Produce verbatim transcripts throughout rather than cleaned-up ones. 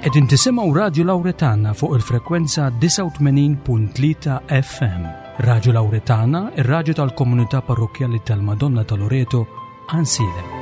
Qegħdin tisimgħu Radju Lawretana fuq il-frekwenza disgħa u tmenin punt tlieta F M. Radju Lawretana, ir-radju tal-komunità parrokkjali tal-Madonna ta' Loreto, Għajnsielem.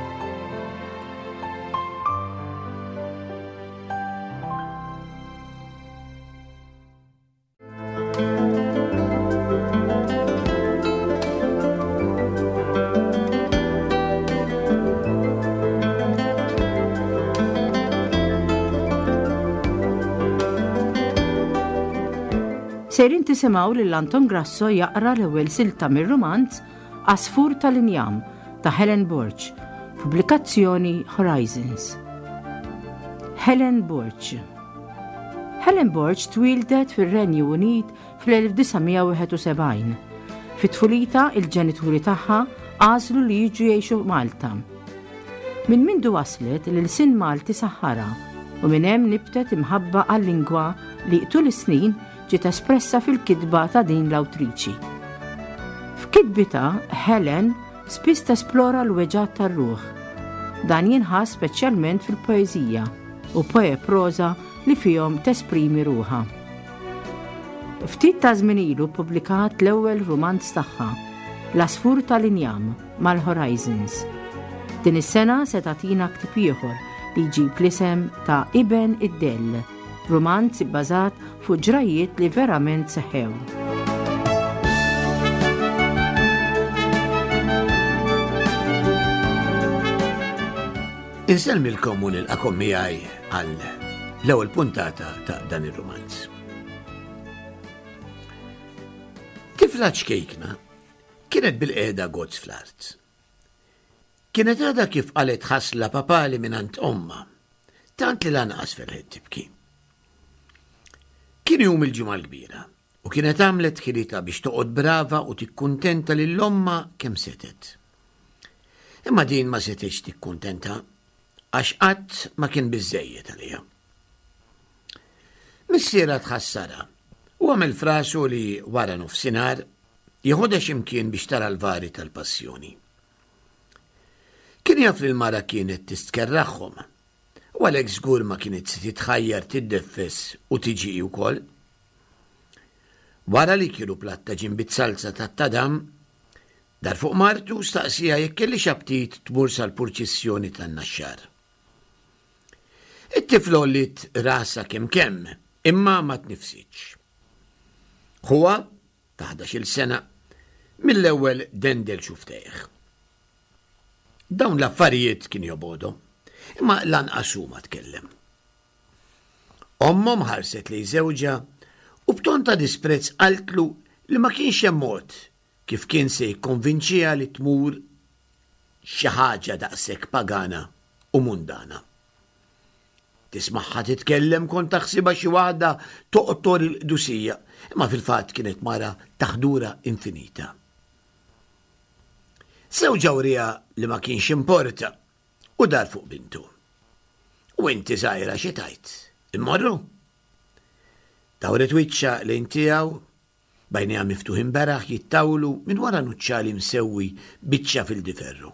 Sejrin tisimgħu lil Anton Grasso jaqra l-ewwel silta mir-rumanz Għasfur tal-Injam ta' Helen Borg, pubblikazzjoni Horizons. Helen Borg. Helen Borg twieldet fir-Renju Unit fl-elf disa' mija wieħed u sebgħin. Fit-tfulita il-ġenituri tagħha għażlu li jiġu jgħixu Malta. Minn mindu waslet l-ilsien Malti saħħara u minn hemm nibtet imħabba għal-lingwa li tul is-snin ġiet espressa fil-kitba ta' din l-awtriċi. F'kitbita, Helen spiss tesplora l-weġgħat tar-ruħ. Dan jinħass speċjalment fil-poeżija u poe proża li fihom tesprimi ruħha. Ftit ta' żmien ilu ppubblikat l-ewwel rumanz tagħha, L-Għasfur tal-Injam, mal-Horizons. Din is-sena se tagħtina ktieb ieħor li jġib l-isem ta' Iben id-Dell, rumanz ibbażat fuq ġrajiet li verament seħħew. Insellmilkom u nilqakom miegħi għal l-ewwel puntata ta' dan ir-rumanz. Tifla ċkejkna kienet bil-qiegħda gozz fl-art. Kienet għadha kif qalet ħasla papali mingħand ommha, tant li lanqas felħet tibki. Kien jum il-Ġimgħa l-Kbira u kienet għamlet ħilitha biex toqgħod brava u tikkuntenta lil ommha kemm setet. Imma din ma setgħetx tikkuntenta għax qatt ma kien biżżejjed għaliha. Missierha tħassarha u għamel frasu li wara nofsinhar jeħodha x'imkien biex tara l-vari tal-passjoni. Kien jaf li l-mara kienet tistkerraħħom u għalhekk żgur ma kienet se titħajjar tiddeffes u tiġi hi wkoll. Wara li kielu platta ġimbit salza tat-tadam, dar fuq martu staqsija jekk kellix aptit tmur sal-purċissjoni tan-Naxxar. It-tifla għolliet rasha kemm kemm, imma ma tnifsitx. Ħuha, ta' ħdax-il sena, mill-ewwel dendel xuftejh. Dawn l-affarijiet kien jobgħodhom, imma lanqas hu ma tkellem. Ommhom ħarset lejn żewġha u b'ton ta' disprezz qaltlu li ma kienx hemm mod kif kien se jikkonvinċiha li tmur xi ħaġa daqshekk pagana u mundana. Tismagħha titkellem kont taħsibha xi waħda toqtor il-qdusija, imma fil-fatt kienet mara taħdura infinita. Żewġha wriha li ma kienx importa u dar fuq bintu. U inti żgħira xi tajt? Immorru? Dawret wiċċha lejn tiegħu, bajnejha miftuħin beraħ jittawlu minn wara nuċċali msewwi biċċa fil-diverru.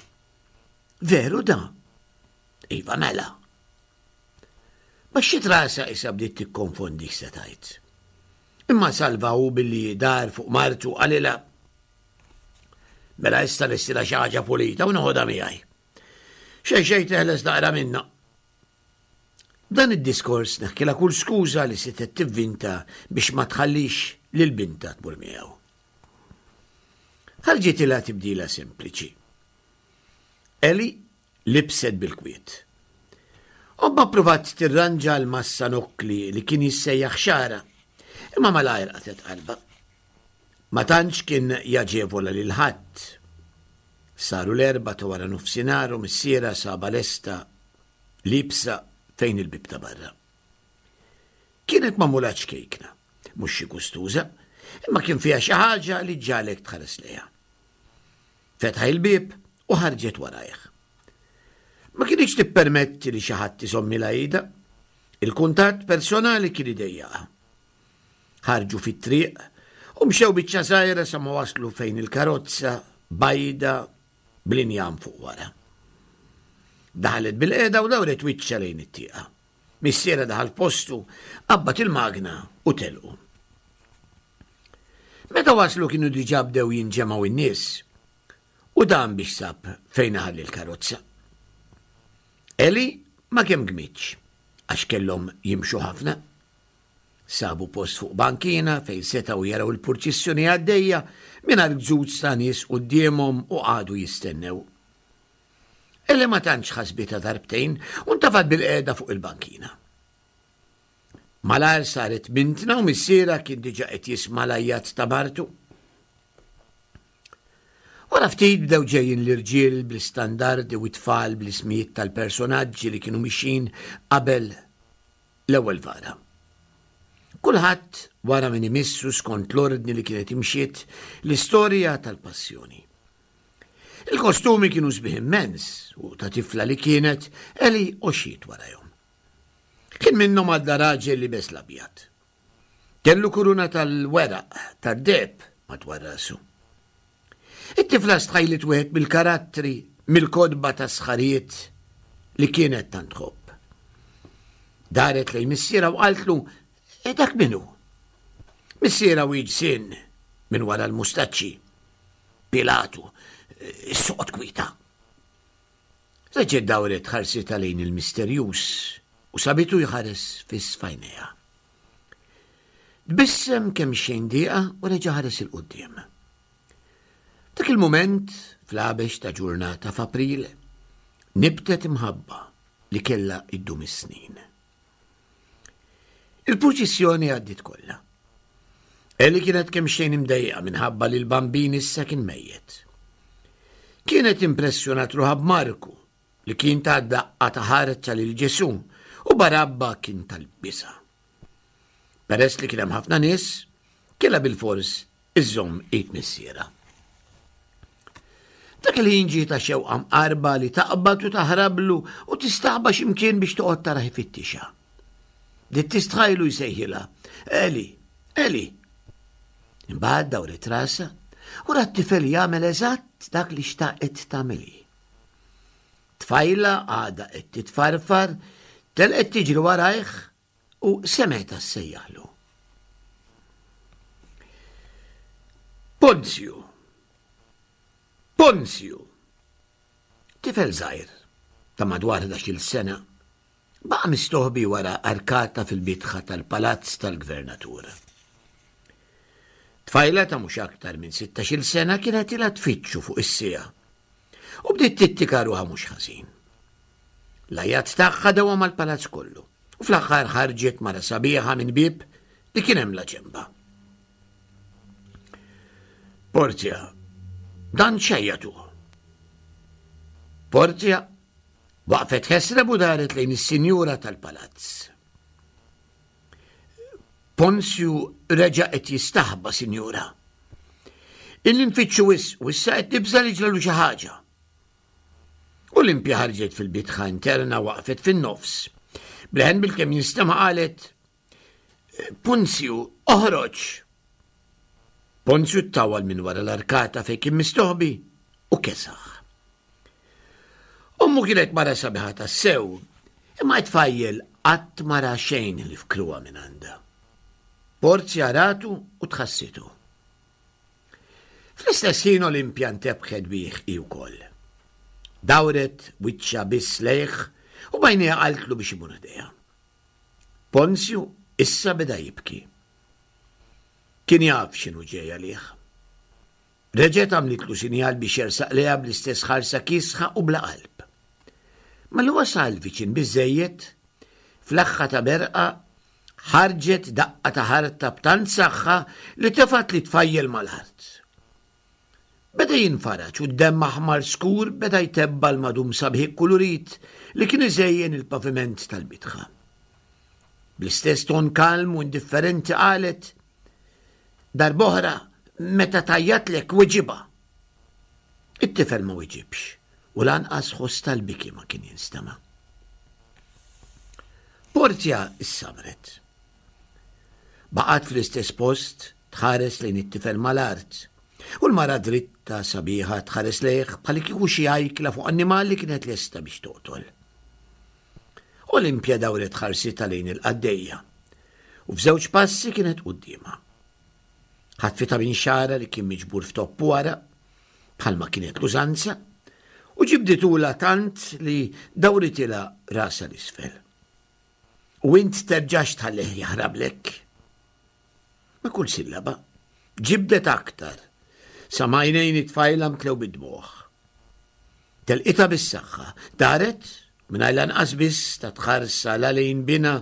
Veru da? Iva mela. Baxxiet rasha issa bdiet tikkonfondi x'se tajt. Imma salva hu billi dar fuq martu qalilha. Mela issa lestila xi ħaġa pulita u noħodha miegħi. Xejn xejn teħles naqra minna. Dan id-diskors neħkilha kull skuża li setgħet tivvinta biex ma tħallix lil binta tmur miegħu. Ħarġitilha tibdila sempliċi. Eli libset bil-kwiet. Omma provat tirranġa l-massa nokkli li kien jissejjaħ xara, imma malajr qatet qalba. Ma tantx kien jaġevola lil ħadd. Saru l-erba ta' wara nofsinhar u missiera saba lesta libsa fejn il-bib ta' barra. Kienet magħmula ċkejkna, mhux xi gustuża, imma kien fiha xi ħaġa li ġalek tħares lejha. Fetħa il-bieb u ħarġet warajh. Ma kienx tippermetti li xi ħadd iżommilha idha. Il-kuntatt personali kien idejjaqha. Ħarġu fit-triq u mxew biċċa żgħira sa ma waslu fejn il-karozza bajda bl-injam fuq wara. Daħlet bil-qiegħda u dawret wiċċha lejn it-tieqa. Missierha daħal postu, qabbad il-magna u telqu. Meta waslu kienu diġà bdew jinġemgħu in-nies u dan biex sab fejn ħalli l-karozza. Eli ma kemm gmitx għax kellhom jimxu ħafna. Sabu post fuq bankina fejn setgħu jaraw il-purċissjoni għaddejja mingħajr gżuż ta' nies quddiemhom u qagħdu jistennew. Eli ma tantx ħasbitha darbtejn u ntafat bil-qiegħda fuq il-bankina. Malajr saret mintna u missierha kien diġà qed jisma' l-għajjat ta' martu. Wara ftit bdew ġejjin l-irġiel bl-istandardi u t-tfal bl-ismijiet tal-personaġġi li kienu mixin qabel l-ewwel vara. Kulħadd wara min imissu skont l-ordni li kienet imxiet l-istorja tal-passjoni. Il-kostumi kienu sbieħ immens u ta' tifla li kienet Eli għoxiet warajhom. Kien minnhom għadda raġel liebes l-abjad. Kellu kuruna tal-weraq tad-deheb madwar rasu. It-tifla stħajlet wieħed mill-karattri mill-kotba ta' sħarijiet li kienet tant tħobb. Daret lejn missierha u qaltlu, "E dak min hu?" Missierha wieġ minn wara l-mustaċċi. Pilatu, soqgħod kwieta. Reġgħet dawret ħarsitha lejn il-misterjuż u sabitu jħares fiss f'għajnejha. Tbissem kemm xejn dieqa u reġa' ħares 'il quddiem. Dak il-mument, fl-għabex ta' ġurnata f'April, nibtet imħabba li kellha iddum is-snin. Il-purċissjoni għaddiet kollha. Eli kienet kemm xejn imdejqa minħabba li l-bambin issa kien mejjet. Kienet impressjonat ruħha b'Marku li kien ta' daqqa ta' ħarta lil Ġesù u Barabba kien tal-biża'. Peress li kien hemm ħafna nies, kellha bilfors iżżomm id missierha. Dak il-ħin ġietha xewqa mqarba li taqbad u taħrablu u tistaħba x'imkien biex toqgħod taraħ ifittixha. Bdiet tistħajlu jsejħilha, Eli, Eli. Imbagħad dawret rasha u rat tifel jagħmel eżatt dak li xtaqet tagħmel hi. Tfajla għadha qed titfarfar, telqet tiġri warajh u semgħetha ssejjaħlu. Ponzju! Ponzju! Tifel żgħir ta' madwar ħdax-il sena baqa' mistoħbi wara arkata fil-bitħa tal-palazz tal-gvernatur. Tfajla ta' mhux aktar minn sittax-il sena kienet ilha tfittxu fuq is-siegħa u bdiet tittika ruħha mhux ħażin. L-għajat tagħha dewa mal-palazz kollu u fl-aħħar ħarġet mara sabiħa minn bieb li kien hemm la ġemba. Porzja, dan xejjatu. Porzja waqfet ħesreb u daret lejn is-sinjura tal-palazz. Ponzju reġa' qed jistaħba, sinjura. Illi nfittxu wisq u issa qed nibża' li ġralu xi ħaġa. Olimpja ħarġet fil-bitħa interna waqfet fin-nofs. Bleħen bil-kemm jinstema' qalet, Ponzju, oħroġ! Ponzju ttawal minn wara l-arkata fejn kien mistoħbi u kesaħ. Ommu kienet mara sabiħa tassew, imma t-tfajjel qatt ma ra xejn li fkruha minn għandha. Porzja ratu u tħassitu. Fl-istess ħin Olimpja ntebħet bih hi wkoll. Dawret wiċċha biss lejh u b'għajnejha qaltlu biex imur ħdejha. Ponzju issa beda jibki. Kien jaf x'inhu ġej għalih. Reġgħet għamlitlu sinjal biex jersaq lejha bl-istess ħarsa kiesħa u bla qalb. Malli wasal viċin biżżejjed, fl-aħħa ta' berqa ħarġet daqqa ta' ħarta b'tant saħħa li tefgħet li tfajjel mal-art. Beda jinfaraġ u d-demm aħmar skur beda jtebba' l-madum sabiħ ikkulurit li kien iżejjen il-paviment tal-bitħa. Bl-istess ton kalm u indifferenti qalet, Darb'oħra meta tajjatlek weġibha. It-tifel ma weġibx u lanqas ħoss tal-biki ma kien jinstema'. Porzja issabret. Baqgħet fl-istess post tħares lejn it-tifel mal-art u l-mara dritta sabiħa tħares lejh bħal kieku xi ajkla fuq annimal li kienet lesta biex toqtol. Olimpja dawret ħarsitha lejn il-qaddejja u f'żewġ passi kienet quddiemha. Ħatfitha minn xagħarha li kien miġbur f'topp wara, bħalma kienet l-użanza, u ġibditulha tant li dawritilha rasha 'l isfel. U int terġax tħallih jaħrablek. Ma' kull sillaba, ġibdet aktar, sa ma għajnejn it-tfajla mtlew bid-dmugħ. Telqitha bis-saħħa, daret mingħajr lanqas biss tat ħarsa la lejn binha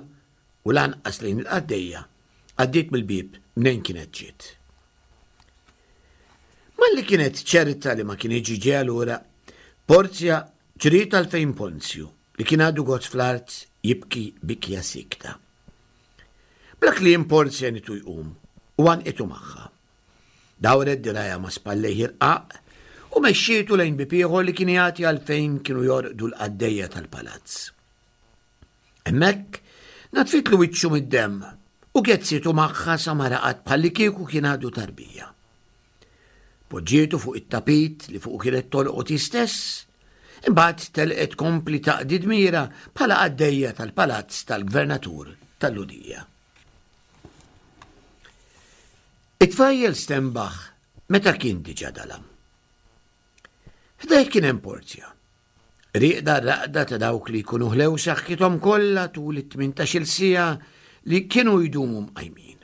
u lanqas lejn il-qaddejja, għaddiet mill-bieb mnejn kienet ġiet. Malli kienet ċerta li ma kinitx ġejja lura, Porzja ġriet għal fejn Ponzju li kien għadu gozz fl-art jibki bikja sikta. Bla kliem Porzja għenitu jqum u għannqitu magħha. Dawret dirgħajha ma' spallejh irqaq u mexxietu lejn bieb ieħor li kien jagħti għal fejn kienu jorqdu l-qaddejja tal-palazz. Hemmhekk naddfitlu wiċċu mid-demm u gezzitu magħha sa ma raqad bħallikieku kien għadu tarbija. Poġġietu fuq it-tapit li fuq kienet tolqot hi stess, imbagħad telqet tkompli taqdi dmirha bħala qaddejja tal-palazz tal-gvernatur tal-Lhudija. It-tfajjel stenbaħ meta kien diġà dalam. Ħdejh kien hemm Porzja. Rieqda r-raqda ta' dawk li jkunu ħlew saħħithom kollha tul it-tmintax-il siegħa li kienu jdumu mqajmin.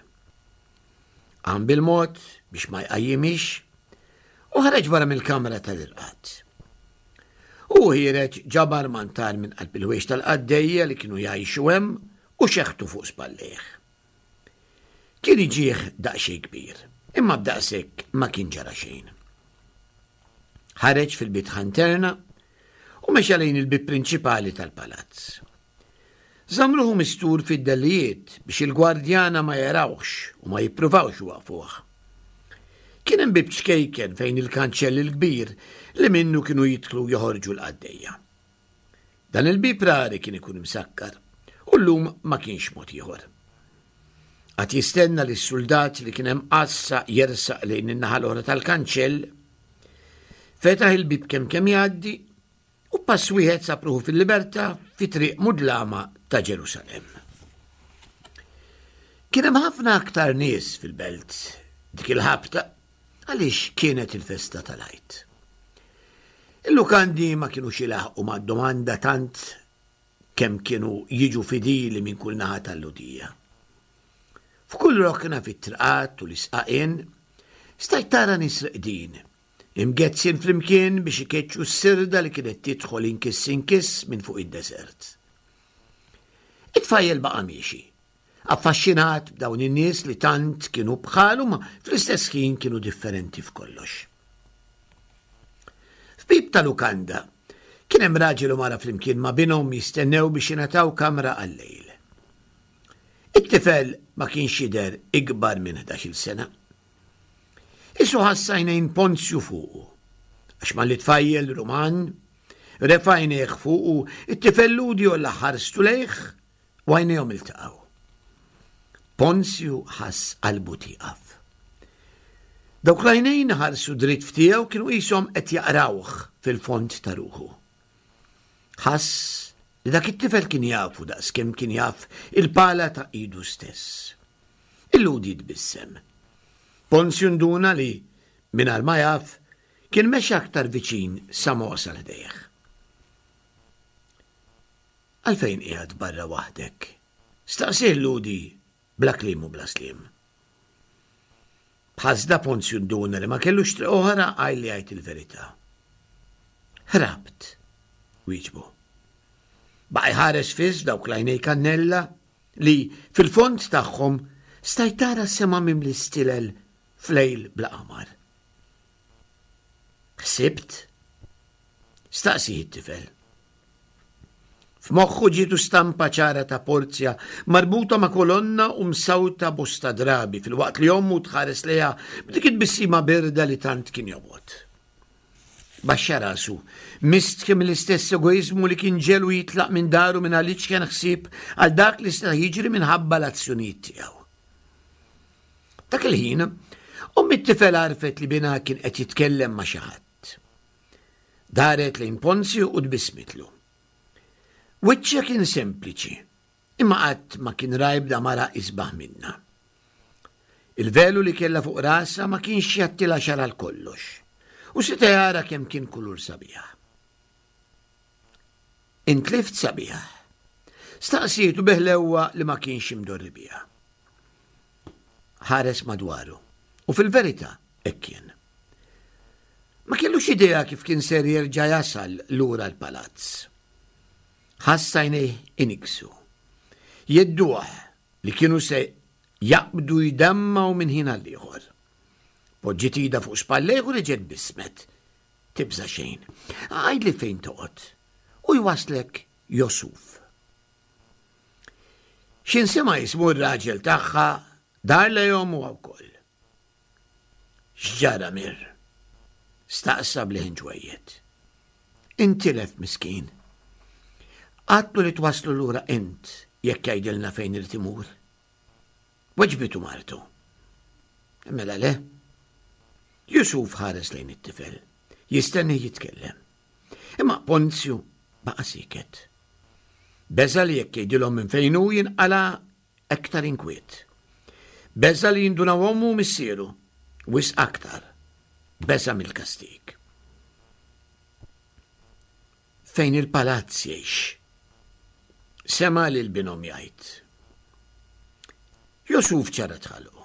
Qam bil-mod biex ma jqajjimhiex u ħareġ barra mill-kamra tal-irqad. U ħiereġ ġabar mantar minn qalb il-ħwejjeġ tal-qaddejja li kienu jgħixu hemm u xeħtu fuq spallejh. Kien iġih daqsxejn kbir, imma b'daqshekk ma kien ġara xejn. Ħareġ fil-bitħa interna u mexa lejn il-bieb prinċipali tal-palazz. Żamm ruħu mistur fid-dellijiet biex il-gwardjana ma jarawhx u ma jippruvawx iwaqqfuh. Kien hemm bieb ċkejken fejn il-kanċell il-kbir li minnu kienu jidħlu joħorġu l-qaddejja. Dan il-bieb rari kien ikun imsakkar u llum ma kienx mod ieħor. Qagħad jistenna li s-suldat li kien hemm għassa jersaq lejn in-naħa l-oħra tal-kanċell, fetaħ il-bieb kemm kemm jgħaddi u pass wieħed sab ruħu fil-libertà fi triq mudlama ta' Ġerusalemm. Kien hemm ħafna aktar nies fil-belt dik il-ħabta għaliex kienet il-festa tal-Għid. Il-lukandi ma kinux ilaħqu mad-domanda tant kemm kienu jiġu fidili minn kull naħa tal-Lhudija. F'kull rokna fit-triqat u l-isqaqien stajt tara nies reqdin, imgezzin flimkien biex ikeċċu s-sirda li kienet tidħol inkiss inkiss minn fuq id-deżert. It-tfajjel baqa' miexi, affaxxinat b'dawn in-nies li tant kienu bħalu ma fl-istess ħin kienu differenti f'kollox. F'bieb ta' lukanda kien hemm raġel u mara flimkien ma' binhom jistennew biex jingħataw kamra għal-lejl. It-tifel ma kienx jidher ikbar minn ħdax-il sena. Isu ħass għajnejn Ponzju fuqu, għax malli tfajjel Ruman refa' għajnejh fuqu, it-tifel Lhudi għolla ħarstu lejh u għajnejhom iltaqgħu. Ponzju ħass qalbu tieqaf. Dawk l-għajnejn ħarsu dritt f'tiegħu kienu qishom qed jaqrawh fil-fond ta' ruħu. Ħass li dak it-tifel kien jafu daqskemm kien jaf il-pala ta' idu stess. Il-Lhudi tbissem. Ponzju nduna li, mingħajr ma jaf, kien mexa aktar viċin sa ma wasal ħdejh. Għalfejn qiegħed barra waħdek? Staqsih l-Lhudi bla kliem u bla sliem. B'ħasda Ponzju nduna li ma kellux triq oħra għajr li jgħid il-verità. Ħrabt, wieġbu. Baqa' jħares fiss dawk l-għajnej kannella li fil-fond tagħhom stajt tara sema mimli stilel f'lejl bla qamar. Ħsibt? Staqsih it-tifel. F'moħħu ġietu stampa ċara ta' Porzja marbuta ma' kolonna u msawta bosta drabi fil-waqt li ommu tħares lejha b'dik it-tbissima birda li tant kien jobgħod. Baxxa rasu, mistħi mill-istess egoizmu li kien ġelu jitlaq minn daru minn għaliex kien ħsieb għal dak li seta' jiġri minħabba l-azzjonijiet tiegħu. Dak il-ħin, omm it-tifel għarfet li binha kien qed jitkellem ma' xi ħadd. Daret lejn Ponzju u tbissmitlu. Wiċċha kien sempliċi, imma qatt ma kien ra ebda mara isbaħ minnha. Il-velu li kellha fuq rasha ma kienx jgħattilha xagħarha għal kollox, u seta' jara kemm kien kulur sabiħ. Intlift sabiħ. Staqsietu bi ħlewwa li ma kienx imdorri biha. Ħares madwaru, u fil-verità hekk kien. Ma kellux idea kif kien ser jerġa' jasal lura l-palazz. Ħass għajnejh iniggsu. Jhedduh li kienu se jaqbdu jdemmgħu minn ħin għal ieħor. Poġġiet idha fuq spallejh u reġgħet tbissmet. Tibża' xejn. Għidli fejn toqgħod. U jwasslek Josuf. X'ħin sema' ismu r-raġel tagħha dar lejhom huwa wkoll. X'ġara Mir? Staqsa b'leħen ġwejjed. Intilef miskin. Għedtlu li twasslu lura int jekk jgħidilna fejn irid imur. Weġbitu martu. Mela le. Jusuf ħares lejn it-tifel. Jistenni jitkellem. Imma Ponzju baqa' siket. Beża' li jekk jgħidilhom minn fejn hu jinqala' aktar inkwiet. Beża' li jindunaw ommu u missieru, wisq aktar. Beża' mill-kastig. Fejn il-palazz jgħix. Sema' lil binhom jgħid. Jusuf ċarrat ħalqu.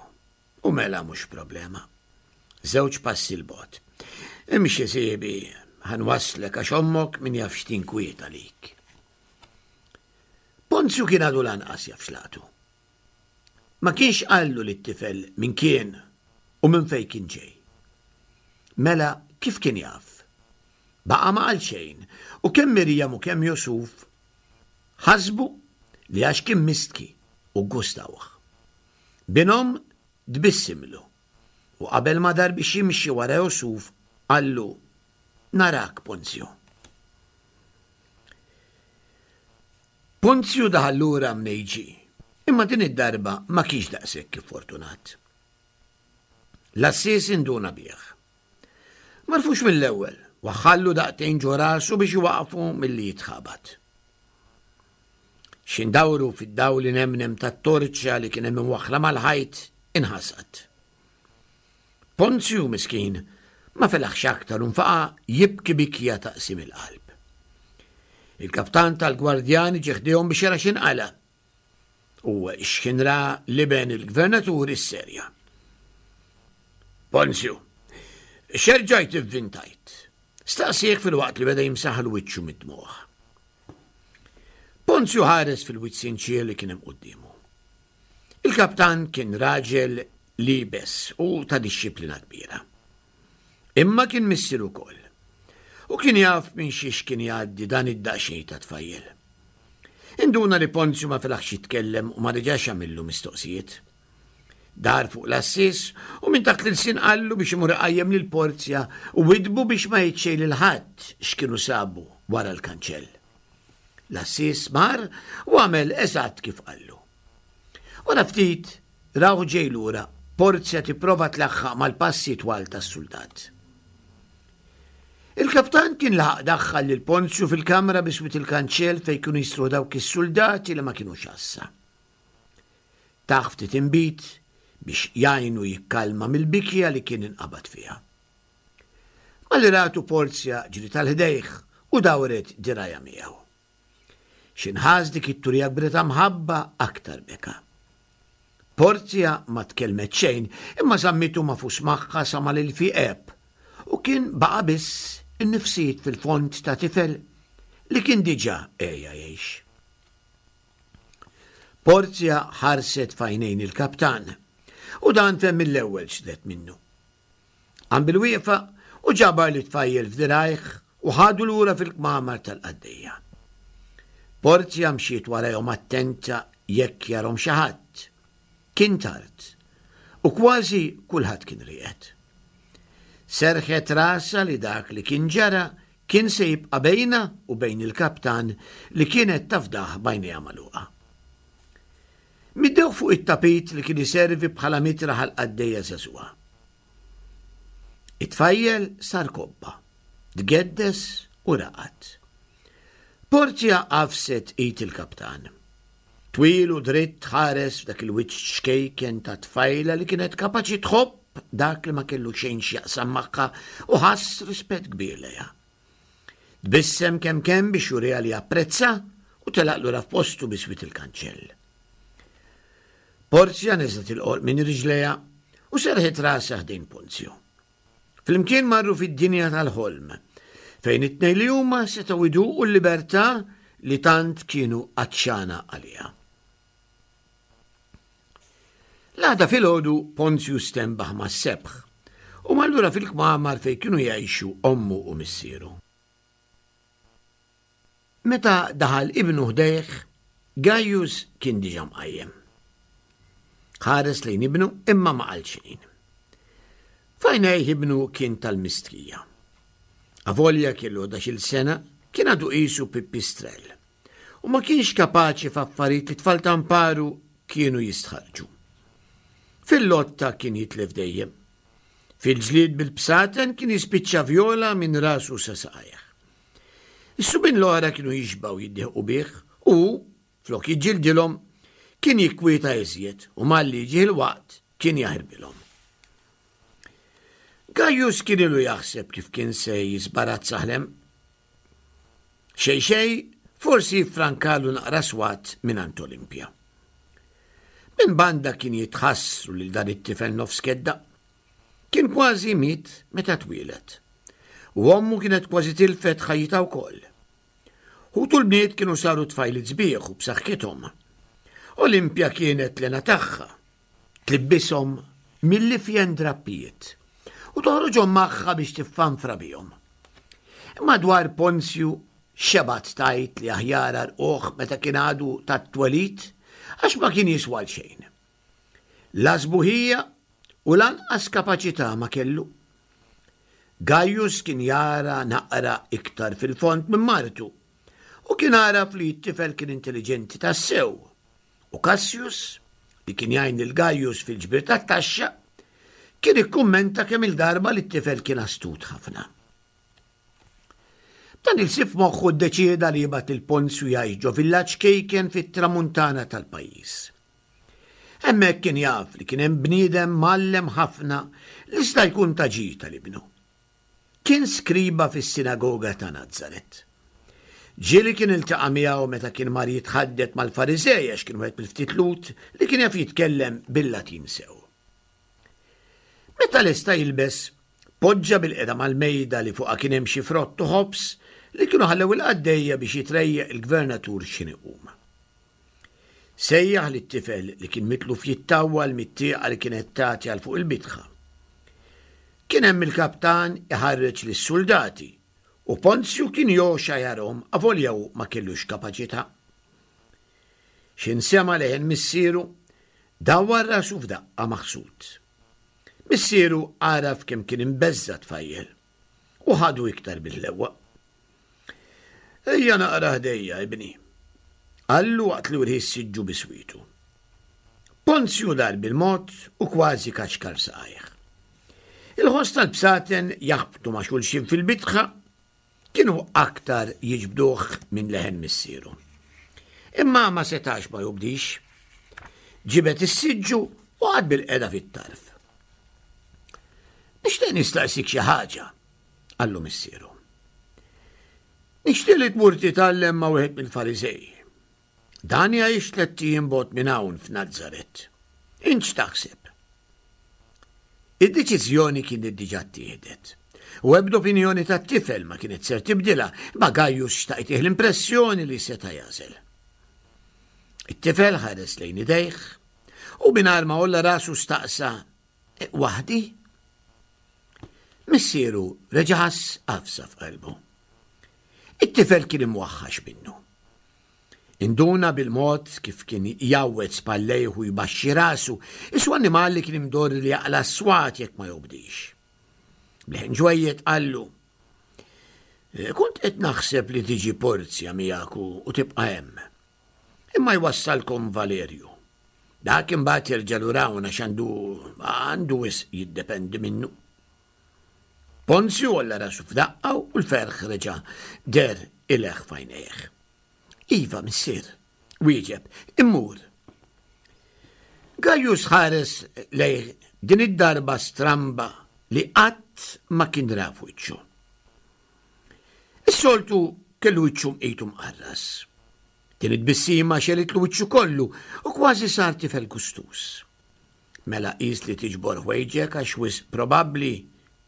U mela mhux problema. Żewġ passi 'l bogħod. Imxi sieħbi, ħa nwasslek għax ommok min jaf x'tinkwieta għalik. Ponzju kien għadu lanqas jaf x'laqtu. Ma kienx qallu lit-tifel min kien u minn fejn kien ġej. Mela kif kien jaf? Baqa' ma qal xejn u kemm Mirjam u kemm Jusuf ħasbu li għax kien mistki u gustawh. Binhom tbissimlu u qabel ma dar biex jimxi wara Jusuf qallu narak Ponzju. Ponzju daħal lura mnejn ġie, imma din id-darba ma kienx daqshekk fortunat. L-għassies induna bih. M'għarfux mill-ewwel, waħħallu daqtejn ġo rasu biex iwaqfu milli jitħabat. X'indawru fid-dawl inemnem tat-torċa li kien hemm imwaħħla mal-ħajt inħasad. Ponzju miskin ma felaħx aktar u nfaqa' jibki bikja ta' qsim il-qalb. Il-kaptan tal-gwardjani ġie ħdejhom biex jara x'inqala'. U x'kien ra l-iben il-gvernatur isserja. Ponzju, x'erġajt ivvintajt? Staqsieh fil-waqt li beda jimsaħ wiċċu mid-dmugħ. Ponzju ħares fil-wiċċ sinċier li kien hemm quddiemu. Il-kaptan kien raġel libes u ta' dixxiplina kbira. Imma kien missier ukoll. U kien jaf minn xiex kien jgħaddi dan id-daqsxejn ta' tfajjel. Induna li Ponzju ma felaħx jitkellem u ma reġax għamillu mistoqsijiet. Dar fuq l-għassies u minn taħt l-ilsien qallu biex imur iqajjem lil Porzja u widbu biex ma jgħid xejn lil ħadd x'kienu sabu wara l-kanċell. L-għassies mar u għamel eżatt kif qallu. Wara ftit rawh ġej lura, Porzja tipprova tlaħħaq mal-passi twal tas-suldat. Il-kaptan kien laħaq daħħal lil Ponzju fil-kamra biswit il-kanċell fejn kienu jistru dawk is-soldati li ma kinux għassa. Tah ftit inbid biex jgħinu jikkalma mill-bikja li kien inqabad fiha. Malli ratu Porzja ġriet għal ħdejh u dawret dirgħajha miegħu. X'ħin ħass dik it-turija kbira ta' mħabba aktar beka. Porzja ma tkellmet xejn imma żammitu magħfus magħha sa ma l-ilfiq għeb u kien baqa' biss in-nifsijiet fil-fond ta' tifel li kien diġà għeja jgħix. Porzja ħarset f'għajnejn il-kaptan u dan fehem mill-ewwel x'ridet minnu. Qam bil-wieqfa u ġabar lit-tfajjel f'dirgħajh u ħadu lura fil-kmamar tal-qaddejja. Porzja mxiet warajhom attenta jekk jarhom xi ħadd. Kien tard u kważi kulħadd kien rieqed. Serħet rasha li dak li kien ġara kien se jibqa' bejna u bejn il-kaptan li kienet tafdah b'għajnejha magħluqa. Middewh fuq it-tapit li kien iservi bħala mitraħ għal qaddejja żagħżugħa. It-tfajjel sar kobba, tgeddes u raqad. Porzja għafset id il-kaptan. Twil u dritt ħares f'dak il-wiċċ ċkejken ta' tfajla li kienet kapaċi tħobb dak li ma kellu xejn x'jaqsam magħha u ħass rispett kbir lejha. Tbissem kemm kemm biex juriha li apprezza u telaq lura f'postu biswit il-kanċell. Porzja neżlet il-qorq minn riġlejha u serħet rasha ħdejn Ponzju. Flimkien marru fid-dinja tal-ħolm, fejn it-tnejn li huma setgħu jduqu l-libertà li tant kienu għatxana għaliha. L-għada filgħodu Ponzju stenbaħ mas-sebħ u mar lura fil-kmamar fejn kienu jgħixu ommu u missieru. Meta daħal ibnu ħdejh, Gaius kien diġà mqajjem. Ħares lejn ibnu imma ma qal xejn. F'għajnejh ibnu kien tal-mistħija. Avolja kellu ħdax-il sena, kien għadu qisu pipistrell u ma kienx kapaċi f'affarijiet li tfal tamparu kienu jistħarġu. Fil-lotta kien jitlef dejjem. Fil-ġlied bil-bsaten kien jispiċċa vjola minn rasu sa saqajh. Is-subien l-oħra kienu jixbgħu jiddieħqu bih u, flok jiġġildilhom, kien jikkwieta iżjed u malli jiġih il-waqt kien jaħirbilhom. Gaius kien ilu jaħseb kif kien se jiżbarazza ħlem. Xejn xejn, forsi jiffrankalu naqra swat mingħand Olimpja. Minn banda kien jitħassru lil dan it-tifel nofs kedda. Kien kważi miet meta twieled. U ommu kienet kważi tilfet ħajjitha wkoll. Ħutu l-bniet kienu saru tfajliet sbieħ u b'saħħithom. Olimpja kienet l-hena tagħha. Tlibbishom mill-ifjen drappijiet u toħroġhom magħha biex tiffanfra bihom. Imma dwar Ponzju xebgħet tgħid li aħjar għarquh meta kien għadu tat-twelid għax ma kien jiswa għal xejn. La sbuħija u lanqas kapaċità ma kellu. Gaius kien jara naqra iktar fil-fond minn martu u kien għaraf li t-tifel kien intelliġenti tassew. U Cassius, li kien jgħin lil Gaius fil-ġbir tat-taxxa, kien ikkummenta kemm il-darba li t-tifel kien astut ħafna. Dan il-sif moħħu ddeċieda li jibgħat lil Ponzju jgħix ġo villaġġ kejken fit-tramuntana tal-pajjiż. Hemmhekk kien jaf li kien hemm bniedem mgħallem ħafna li sta jkun ta' ġid tal-ibnu. Kien skriba fis-sinagoga ta' Nazaret. Ġieli kien iltaqa' miegħu meta kien mar jitħaddet mal-Fariżej għax kien wieħed mill-ftit Lhud li kien jaf jitkellem bil-Latin sew. Meta lesta jilbes, poġġa bil-qeda mal-mejda li fuqha kien hemm xi frott u ħobż li kienu ħallew il-qaddejja biex jitrejjaq il-gvernatur x'inhi qum. Sejjaħ lit-tifel li kien mitluf jittawwal mit-tieqa li kienet tagħti għal fuq il-bitħa. Kien hemm il-kaptan iħarreġ lis-suldati u Ponzju kien joxa jarhom avolja hu ma kellux kapaċità. X'in sema' leħen missieru, dawwar rasu f'daqqa maħsud. Missieru għaraf kemm kien imbeżża' tfajjel u ħadu iktar bil-ħlewwa. Ejja naqra ħdejja, ibni, qallu waqt li wrieh is-siġġu biswitu. Ponzju dar bil-mod u kważi kaxkar saqajh. Il-ħoss tal-bsaten jaħbtu ma' xulxin fil-bitħa kienu aktar jiġbduh minn leħen missieru. Imma ma setax ma jobdix. Ġibed is-siġġu u qagħad bil-qeda fit-tarf. Nixtieq nistaqsik xi ħaġa, qallu missieru. Nixtieq li tmur titgħallem ma' wieħed mill-Fariżej. Dan jgħix tlett ijiem bogħod minn hawn f'Nazaret. Int x'taħseb? Id-deċiżjoni kienet diġà ttieħdet. U ebda opinjoni tat-tifel ma kienet ser tibdilha, imma Gaius xtaq itih l-impressjoni li seta' jagħżel. It-tifel ħares lejn idejh u mingħajr ma għolla rasu staqsa, e, waħdi? Missieru reġa' ħass għafsa f'qalbu. It-tifel kien imwaħħax minnu. Induna bil-mod kif kien jgħawweġ spallejh u jbaxxi rasu, isu annimal li kien imdorri li jaqla' s-swat jekk ma jobdix. Bleħen ġwejjed qallu, Kont qed naħseb li tiġi Porzja miegħek u tibqa' hemm. Imma jwassalkom Valerju. Dak imbagħad jerġa' lura hawn għax għandu għandu wisq jiddependi minnu. Ponzju għolla rasu f'daqqa u l-ferħ reġa' deher ileħħ f'għajnejh. Iva, missier, wieġeb, immur. Gaius ħares lejh din id-darba stramba li qatt ma kien ra f'wiċċu. Is-soltu kellu wiċċu mqitu mqarras. Din it-tbissima xelitlu wiċċu kollu u kważi sar tifel gustuż. Mela qis li tiġbor ħwejġek għax wisq probabbli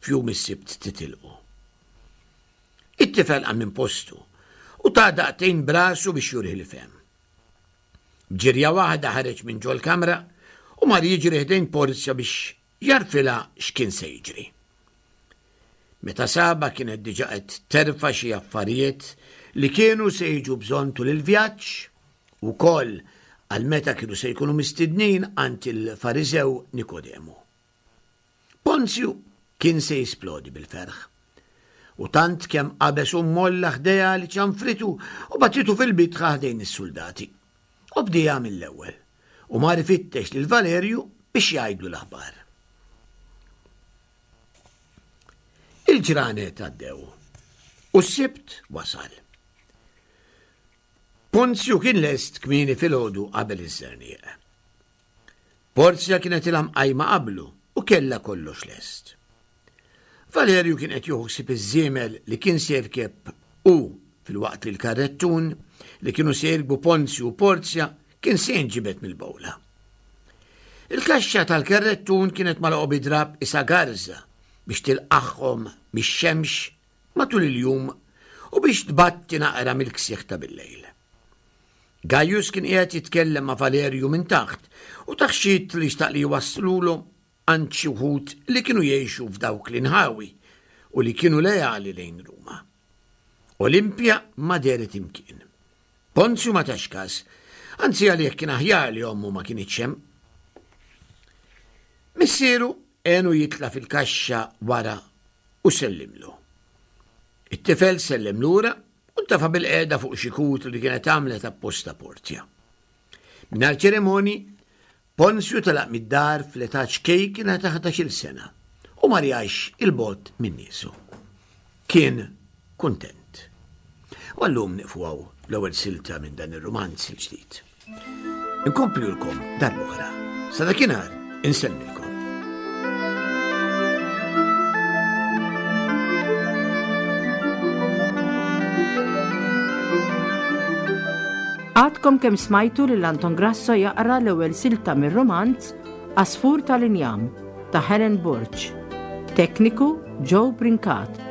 f'jum is-Sibt titilqu. It-tifel qam minn postu u ta daqtejn b'rasu biex jurih li fehem. B'ġirja waħda ħareġ minn ġol-kamra u mar jiġri ħdejn Porzja biex jarfilha x'kien se jiġri. Meta saba kienet diġa qed terfa' xi affarijiet li kienu se jiġu bżonn tul il-vjaġġ ukoll għal meta kienu se jkunu mistednin għand il-Fariżew Nikodemu. Ponzju kien se jisplodi bil-ferħ. U tant kemm qabeż u molla ħdejha li ċanfritu u bagħtitu fil-bitħa ħdejn is-suldati. U bdieha mill-ewwel u mar ifittex lil Valerju biex jgħidlu l-aħbar. Il-ġranet għaddew u s-Sibt wasal. Ponzju kien lest kmieni filgħodu qabel iż-żerniq. Porzja kienet ilha mqajma qablu u kellha kollox lest. Valerju kien qed jieħu ħsieb iż-żiemel li kien se jirkeb hu filwaqt li l-karrettun li kienu se jirkbu Ponzju u Porzja kien se jinġibed mill-bowla. Il-kaxxa tal-karrettun kienet magħluqa bi drapp isa garża biex tilqagħhom mix-xemx matul il-jum u biex tbatti naqra mill-ksieħ ta' bil-lejl. Gaius kien qiegħed jitkellem ma' Valerju minn taħt u taħxit li xtaq li jwasslulu għand xi wħud li kienu jgħixu f'dawk l-inħawi u li kienu leali lejn Ruma. Olimpja ma dehret imkien. Ponzju ma tax kas, anzi għalih kien aħjar li ommu ma kinitx hemm. Missieru għenu jitla' fil-kaxxa wara u sellimlu. It-tifel sellem lura u ntafa' bil-qiegħda fuq xi kutru li kienet għamlet apposta Porzja. Mingħajr ċerimoni, Ponzju telaq mid-dar fl-età ċkejkna ta' ħdax-il sena u mar jgħix 'il bogħod minn niesu. Kien kuntent. U għallum nieqfu hawn l-ewwel silta minn dan ir-rumanz il-ġdid. Inkomplulkom darb'oħra. Sa dakinhar insellmilkom. Għadkom kemm smajtu lil Anton Grasso jaqra l-ewwel silta mir-romanz Għasfur tal-Injam ta' Helen Borg. Tekniku Joe Brincat.